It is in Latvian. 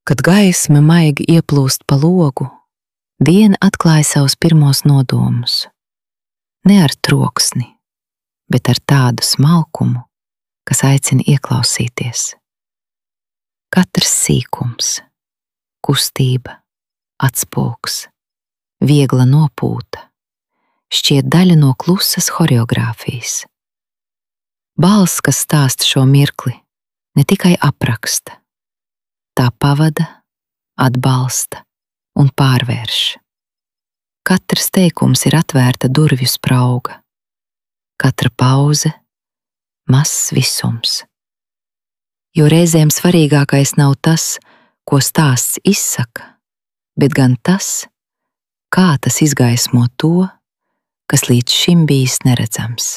Kad gaisma maigi ieplūst pa logu, diena atklāja savus pirmos nodomus. Ne ar troksni, bet ar tādu smalkumu, kas aicina ieklausīties. Katrs sīkums, kustība, atspūgs, viegla nopūta, šķiet daļa no klusas horeogrāfijas. Balss, kas stāsta šo mirkli, ne tikai apraksta, tā pavada, atbalsta un pārvērš. Katrs teikums ir atvērta durvju sprauga, katra pauze mazs visums. Jo reizēm svarīgākais nav tas, ko stāsts izsaka, bet gan tas, kā tas izgaismo to, kas līdz šim bijis neredzams.